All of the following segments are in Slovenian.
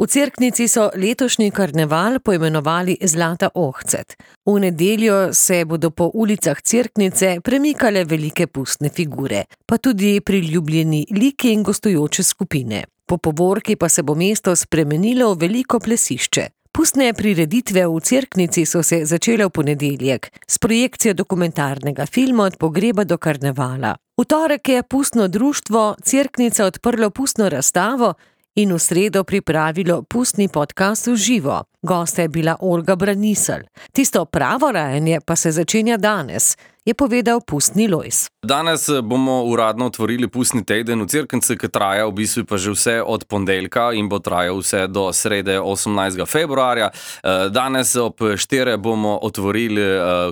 V Cerknici so letošnji karneval poimenovali Zlata ohcet. V nedeljo se bodo po ulicah Cerknice premikale velike pustne figure, pa tudi priljubljeni liki in gostujoče skupine. Po povorki pa se bo mesto spremenilo v veliko plesišče. Pustne prireditve v Cerknici so se začele v ponedeljek s projekcijo dokumentarnega filma Od pogreba do karnevala. V torek je pustno društvo Cerknica odprlo pustno razstavo in v sredo pripravilo pustni podcast v živo. Gosta je bila Olga Braniselj. Tisto pravo rajanje pa se začenja danes, je povedal pustni Lojz. Danes bomo uradno otvorili pustni teden v Cerknici, ki traja v bistvu pa že vse od ponedeljka in bo trajal vse do srede 18. februarja. Danes ob 4 bomo otvorili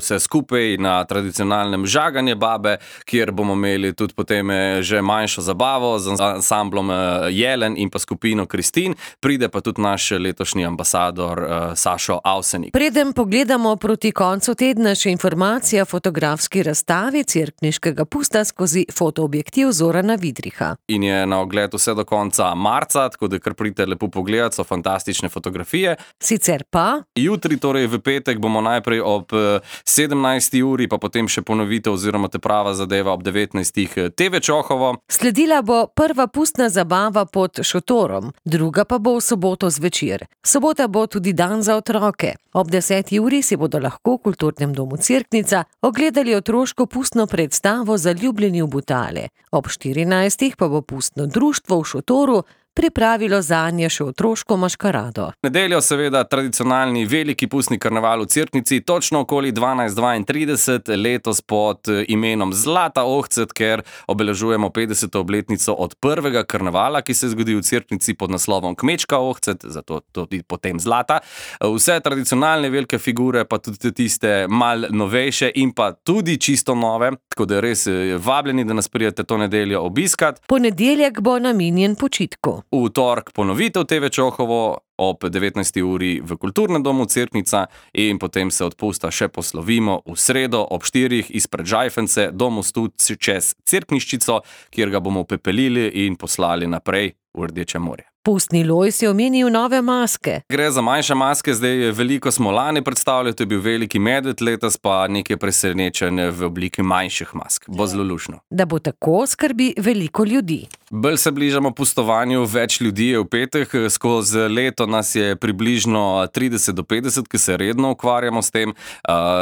vse skupaj na tradicionalnem žaganje babe, kjer bomo imeli tudi potem že manjšo zabavo z ansamblom Jelen in pa skupino Kristin. Pride pa tudi naš letošnji ambasador Sašo Avsenik. Preden pogledamo proti koncu tedna, še informacija o fotografski razstavi cerkniškega pusta skozi fotoobjektiv Zorana Vidriha. In je na ogled vse do konca marca, tako da kar pridite lepo pogledati, so fantastične fotografije. Sicer pa jutri, torej v petek, bomo najprej ob 17. uri, pa potem še ponovitev oziroma te prava zadeva ob 19. TV Čohovo. Sledila bo prva pustna zabava pod šotorom, druga pa bo v soboto zvečer. Sobota bo tudi dan za otroke. Ob 10. uri si bodo lahko v Kulturnem domu Cerknica ogledali otroško pustno predstavo Zaljubljeni v Butale. Ob 14. pa bo pustno društvo v šotoru pripravilo zanje še otroško maškarado. Nedeljo seveda tradicionalni veliki pustni karneval v Cerknici, točno okoli 12:32, letos pod imenom Zlata ohcet, ker obeležujemo 50. obletnico od prvega karnevala, ki se zgodi v Cerknici pod naslovom Kmečka ohcet, zato tudi potem Zlata. Vse tradicionalne velike figure, pa tudi tiste mal novejše in pa tudi čisto nove, tako da res vabljeni, da nas pridete to nedeljo obiskat. Ponedeljek bo namenjen počitku. V torek ponovitev TV Čohovo ob 19. uri v Kulturnem domu Cerknica in potem se od pusta še poslovimo v sredo ob 4 izpred Žajfence do mostu čez Cerkniščico, kjer ga bomo pepelili in poslali naprej v Rdeče morje. Pustni Lojz je omenil nove maske. Gre za manjše maske, zdaj veliko smo lani predstavljali, to je bil veliki medved, letos pa nekaj presenečenj v obliki manjših mask. Bo zelo lušno. Da bo tako, skrbi veliko ljudi. Bolj se bližamo pustovanju, več ljudi je v petek, skozi leto nas je približno 30 do 50, ki se redno ukvarjamo s tem,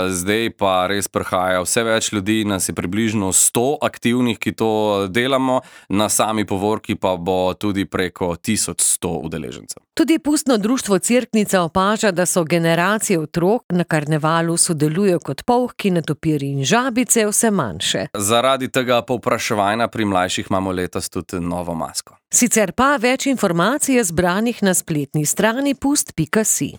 zdaj pa res prihaja vse več ljudi, nas je približno 100 aktivnih, ki to delamo, na sami povorki pa bo tudi preko 1100 udeležencev. Tudi pustno društvo Cerknica opaža, da so generacije otrok na karnevalu sodelujo kot polhki, netopirji in žabice vse manjše. Zaradi tega povpraševanja pri mlajših imamo letos tudi novo masko. Sicer pa več informacij je zbranih na spletni strani pust.si.